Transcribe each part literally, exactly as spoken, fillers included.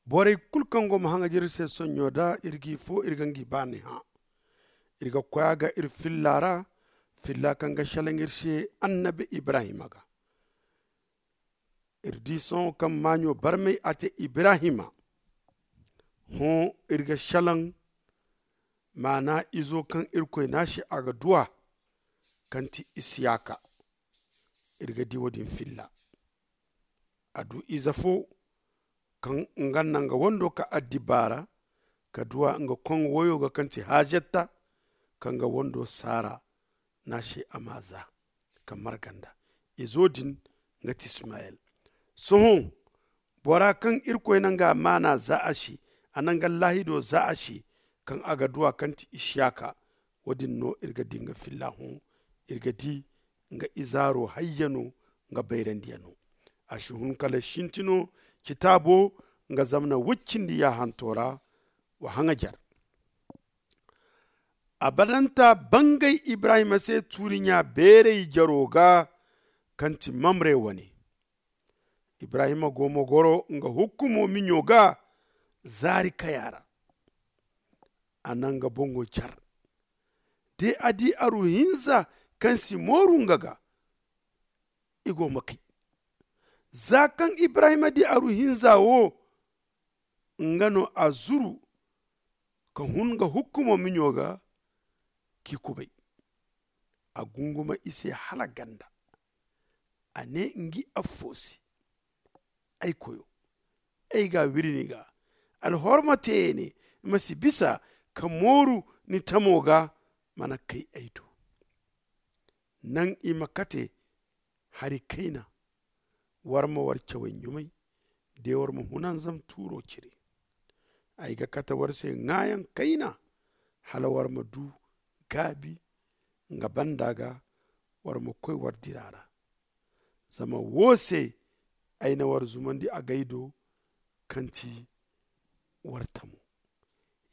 Borey kulu kaŋ go ma haŋajer iri se sonɲo da iri g'i fo iri ga ngi baani hã. Iri ga koy a ga iri filla ra, filla kaŋ ga šelaŋ iri se annabi ibrahima ga. Iri di sohõ kaŋ maaɲo barmay a te ibrahima. Hõ iri ga šelaŋ maana izo kaŋ irkoy ne a se a ga du a, kaŋ ti isiyaka. Iri ga di wo- din filla. A du ize fo kaŋ nga na nga wando ka addibaara ka du a nga koŋo woyo ga kaŋ ti hajetta, kaŋ nga wando saara na a se a ma za ka marga nda. Izo din nga ti ismayel. Sohõ bora kaŋ irkoy na nga maana za a se, a na nga laahido za a se, kaŋ a ga du a kaŋ ti isiyaka. Wo- din no iri ga di nga filla hõ. Iri ga di nga izaaro hayyano nga bayrandiyano. A si hun kala sintino citaabo nga zamana woy cindi yaahanto ra. Wa haŋajer. Abadanta bangay ibrahima se tuuriɲa beeray jaro ga kaŋ ti mamre wane. Ibrahima go ma goro nga hukkumo miɲo ga zaari kaya ra. A na nga boŋo car. De a di aru hinza kaŋ si mooru nga ga, i go ma kay. Za kaŋ ibrahima di aru hinza wo, nga no a zuru ka hun nga hukkumo miɲo ga k'i kubay. A gunguma i se hala ganda. A ne ngi affo se, ay koyo, ay ga wiri ni ga. Alhorma te ya ne, ma si bisa ka mooru ni tamo ga, mana kay ay do. Naŋ i ma kate hari kayna. War ma war cawey ɲumay, de war ma hunanzam tuuro cire. Ay ga kate war se ŋaayaŋ kayna, hala war ma du gaabi nga banda ga. War ma koy war dira ra. Zama wo se ay na war zumandi agay do, kaŋ ti war tamo.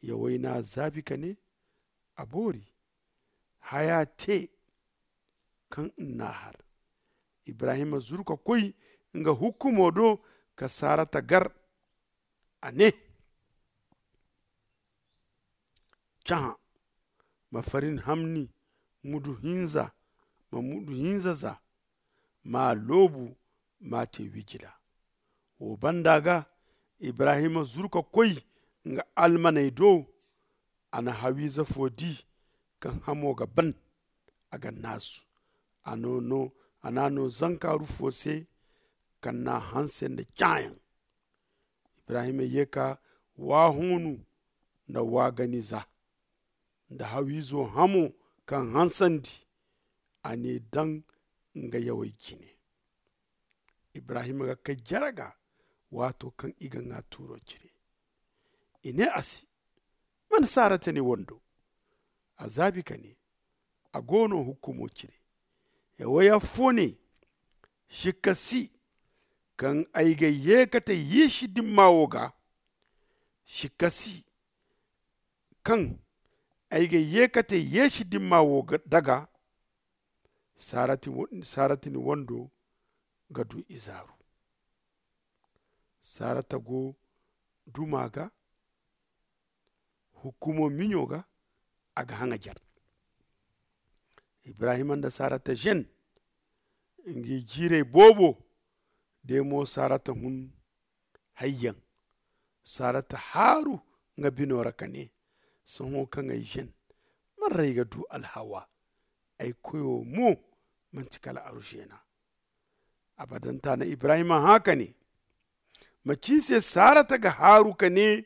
Yawey n'a zaabi ka ne, a boori. Haya te kaŋ n'a har. Ibrahima zuru ka koy nga hukkumo do ka sarata gar. A ne, cahã, ma farin hamni mudu hinza, ma mudu hinza za, m'a loobu m'a te wijila. Wo banda ga ibrahima zuru ka koy nga almaney do. A na hawiize fo di kaŋ hamo ga ban, a ga naasu. A n'a no zankaaru fo se, kaŋ n'a hanse nda caayaŋ. Ibrahima ye ka waahoonu nda waaganiza nda hawiizo hamo kaŋ hansandi. A n'i daŋ nga yawey jine. Ibrahima ga kay jere ga, waato kaŋ i ga ŋwa tuuro cire. I ne a se, man sarata ni wando? A zaabi ka ne, a go no hukkumo cire. Yawey affo ne, sikka si kaŋ ay ga ye ka te yeesi dimma wo ga. Sikka si kaŋ ay ga ye ka te yeesi dimma wo daga. Sarata ni wando ga du izaaru. Sarata go duma ga, hukkumo miɲo ga, a ga haŋajer. Ibrahima nda sarata zen. Ngi jiirey boobo de mo sarata hun. Hayyaŋ. Sarata haaru nga bino ra ka ne, sohõ kaŋ ay zen, man ra ay ga du alhawa? Ay koyo mo manti kala arušena. Abadanta na ibrahima hã ka ne, macin se sarata ga haaru ka ne,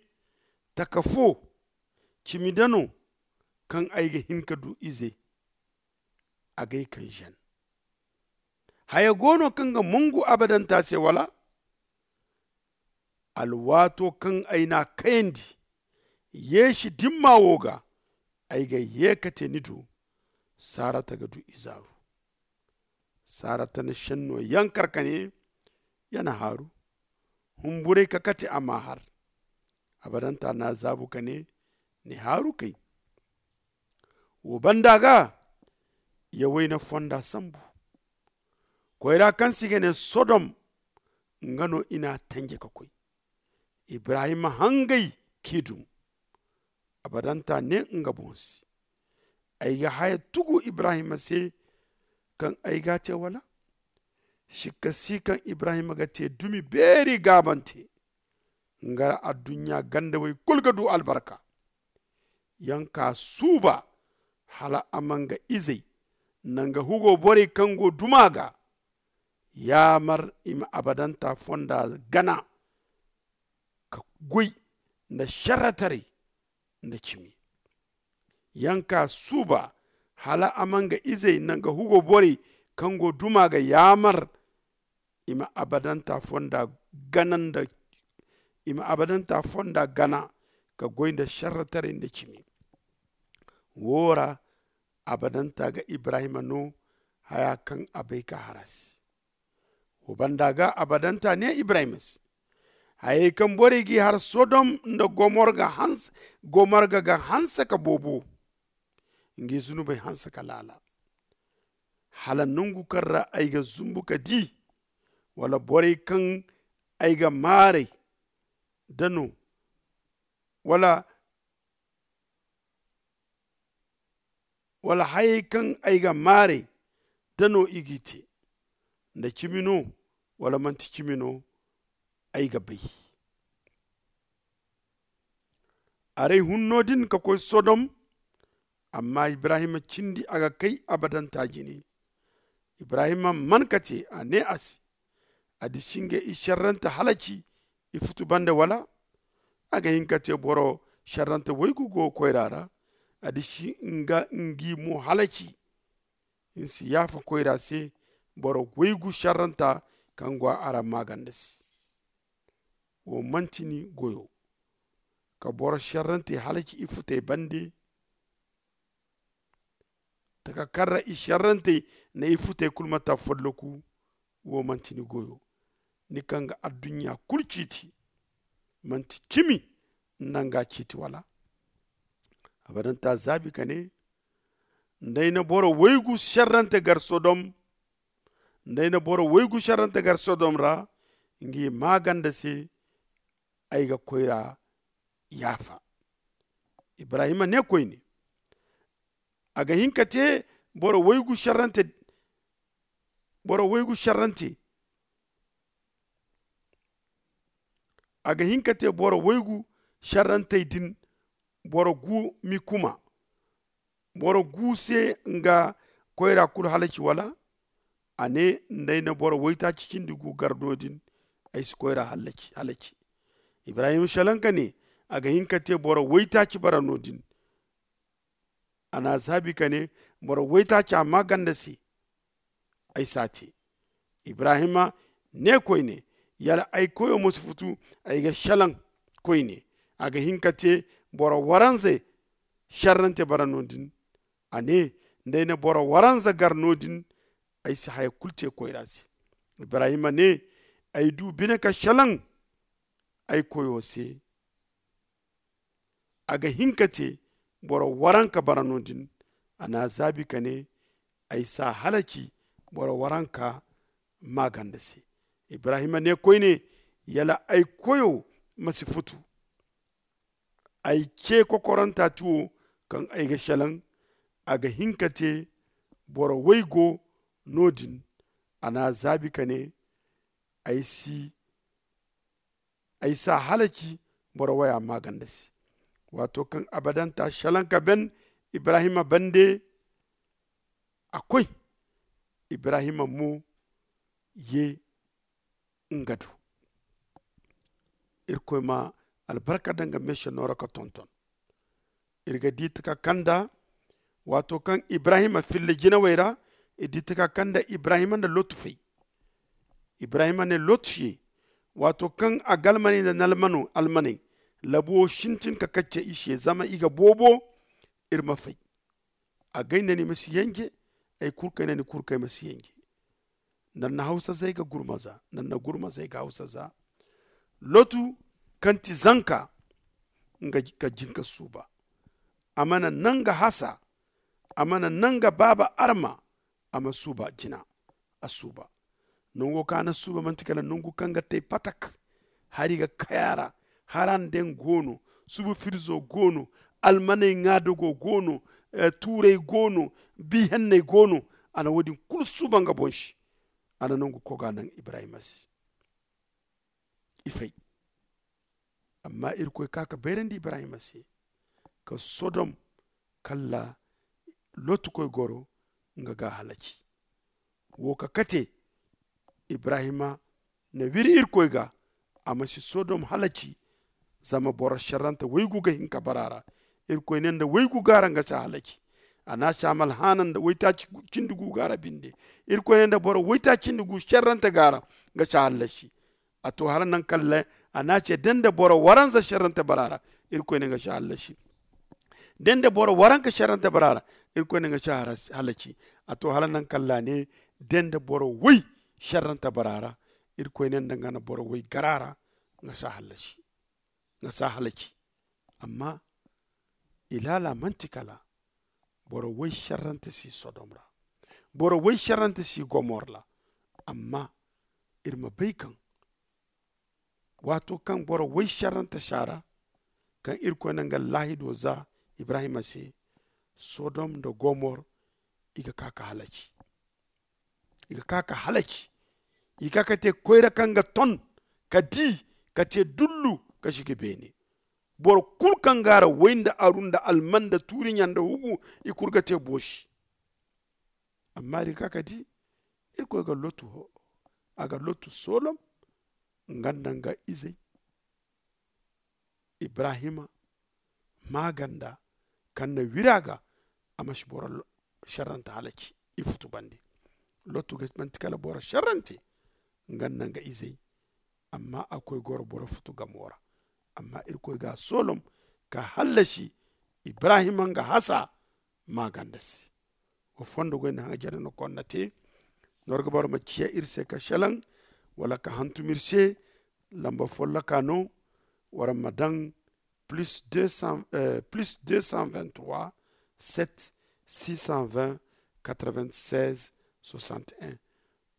taka fo cimi da no kaŋ ay ga hin ka du ize? Agay kaŋ zen. Haya go no kaŋ ga mongu abadanta se wala? Alwaato kaŋ ay n'a kayandi yeesi dimma wo ga, ay ga ye ka te ni do. Sarata ga du izaaru. Sarata na šenno yankar ka ne, ya na haaru. Humburay ka kate a ma har. Abadanta n'a zaabu ka ne, ni haaru kay. Wo banda ga, yawey na fonda sambu. Koyra kaŋ se i ga ne sodom, nga no i n'a tanje ka koy. Ibrahima hangay k'i dum. Abadanta ne nga boŋ se, ay ga haya tugu ibrahima se kaŋ ay ga a te wala? Sikka si kaŋ ibrahima ga te dumi beeri gaabante. Nga ra adduɲɲa gandawey kulu ga du albarka. Yaŋ ka suuba hala a ma nga izey nda nga hugo borey kaŋ go duma ga yaamar i ma abadanta fonda gana ka goy nda šerretaray nda cimi. Yaŋ ka suuba hala a ma nga izey nda nga hugo borey kaŋ go duma ga yaamar i ma abadanta fonda gana nda i ma abadanta fonda gana ka goy nda šerretaray nda cimi. Woo ra abadanta ga ibrahima no haya kaŋ a bay ka har a se. Wo banda ga abadanta ne ibrahima se, hayey kaŋ borey g'i har sodom nda gomorga ga hanse ka boobo. Ngi zunubey hanse ka laala hala nangu kaŋ ra ay ga zumbu ka di, wala borey kaŋ ay ga maaray da no wala wala hayey kaŋ ay ga maaray da no i g'i te, nda cimi no wala manti cimi no? Ay ga bay. Aray hun no- din ka koy sodom. Amma ibrahima cindi a ga kay abadanta jine. Ibrahima man ka te a ne a se, a disi nga i šerrante halaci i futu bande wala? A ga hin ka te boro šerrante waygu go koyra ra. A disi nga ngi mo halaci. Ni si yaafa koyra se boro waygu šerranta kaŋ go a ra maaganda se. Wo manti ni goyo ka boro šerrante halaci i futey bande. Taka kaŋ ra i šerrantey na i futey kulu ma ta folloku. Wo manti ni goyo. Ni kaŋ ga adduɲɲa kulu ciiti manti cimi nda nga ciiti wala? Abadanta zaabi ka ne, nda ay na boro waygu šerrante gar sodom nda ay na boro waygu šerrante gar sodom ra ngi maaganda se, ay ga koyra yaafa. Ibrahima ne koyne, a ga hin ka te boro waygu šerrante boro waygu šerrante a ga hin ka te boro waygu šerrantey din. Boro gu mi kuma boro gu se nga koyra kulu halaci wala? A ne, nda ay na boro waytaaci cindi gu gar no- din, ay si koyra halaci. Ibrahima šelaŋ ka ne, a ga hin ka te boro waytaaci bara no- din. A n'a zaabi ka ne, boro waytaaca maaganda se, ay si a te. Ibrahima ne koyne, yala ay koyo ma si futu ay ga šelaŋ koyne? A ga hin ka te boro waranza šerrante bara no- din? A ne, nda ay na boro waranza gar no- din, ay si haya kulu te koyra se. Ibrahima ne, ay du bine ka šelaŋ ay koyo se. A ga hin ka te boro waranka bara no- din. A n'a zaabi ka ne, ay si a halaci boro waranka maaganda se. Ibrahima ne koyne, yala ay koyo ma si futu ay ce kokoranta ti wo kaŋ ay ga šelaŋ? A ga hin ka te boro waygo no- din. A n'a zaabi ka ne, ay si ay s'a halaci boro waya maaganda se. Waato kaŋ abadanta šelaŋ ka ben ibrahima bande, a koy, ibrahima mo ye nga do. Irkoy ma albarka daŋ ga meese nooro ka tonton. Iri ga di taka kanda waato kaŋ ibrahima filla jinawey ra, iri di taka kanda ibrahima nda lotu fay. Ibrahima ne lotu ye, waato kaŋ a ga almaney nda nalmano almaney, labu wo sintin ka kacce i se zama i ga boobo. Iri ma fay. Agay nda ni ma si yanje. Ay kurkay nda ni kurkay ma si yanje. Nda ni na hawsa zay ga gurma za nda ni na gurma zay ga hawsa za. Lotu kaŋ ti zanka nga ka jinka suuba. A mana nanga hasa. A mana nanga baaba arma. A ma suuba jina. A suuba. Nango kaŋ a na suuba manti kala nangu kaŋ ga tay patak. Hari ga kay a ra. Harandeŋ go no, subu firzo go no, almaney ŋaadago go no, tuurey go no, bi henney go no. A na wo- din kulu suuba nga boŋ se. A na nangu koga naŋ ibrahima se. I fay. Amma irkoy ka ka bayrandi ibrahima se, ka sodom kalla lotu koy goro nga ga a halaci. Wo ka kate ibrahima na wiri irkoy ga, a ma si sodom halaci. Zama boro serrante waygu ga hin ka bara ra. Irkoy ne nda waygu ga ra nga si a halaci. A na a si a malhaana nda waytaaci cindi gu ga ra binde. Irkoy ne nda boro waytaaci cindi gu serrante ga ra nga si a halaci. A to hala naŋ kaŋ a ne a ce da nda boro waranza serrante bara ra. Irkoy ne nga si a halaci. Da nda boro waranka serrante bara ra. Irkoy ne nga si a halaci. A to hala naŋ kaŋ a ne da nda boro way serrante bara ra. Irkoy ne nda nga na boro way gara ra nga si a halaci. Nga si a halaci. Amma ilaala manti kala boro way serrante si sodom ra. Boro way serrante si gomor ra. Amma iri ma bay kaŋ waato kaŋ boro way serrante si a ra, kaŋ irkoy na nga laahido za ibrahima se, sodom nda gomor i ga ka ka halaci. I ga ka ka halaci. I ga ka ka te koyra kaŋ ga ton ka di ka te dullu ka sigi beene. Boro kulu kaŋ ga ra way nda aru nda alman nda tuuriɲa nda hugu i kulu ga te boosi. Amma iri ga ka ka di irkoy ga lotu a ga lotu solom nga nda nga izey ibrahima maaganda kaŋ na wiri a ga a ma si boro serrante halaci. I futu bande lotu ga manti kala boro serrante nga nda nga izey. Amma a koy goro boro futu gamo ra. Amma irkoy ga a solom ka hallasi ibrahima nga hasa maaganda se. Wa fondo goy nda haŋ jare no konna te. Norga boro ma ciya iri se ka shalaŋ wala ka hantum iri se. Lamba folloka no wara ma daŋ plus deux cent plus deux cent vingt trois sept six cent vingt quatre vingt seize soixante un.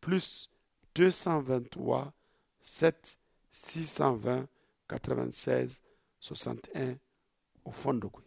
Plus deux cent vingt trois sept six cent vingt quatre vingt seize soixante un. O fondo goy.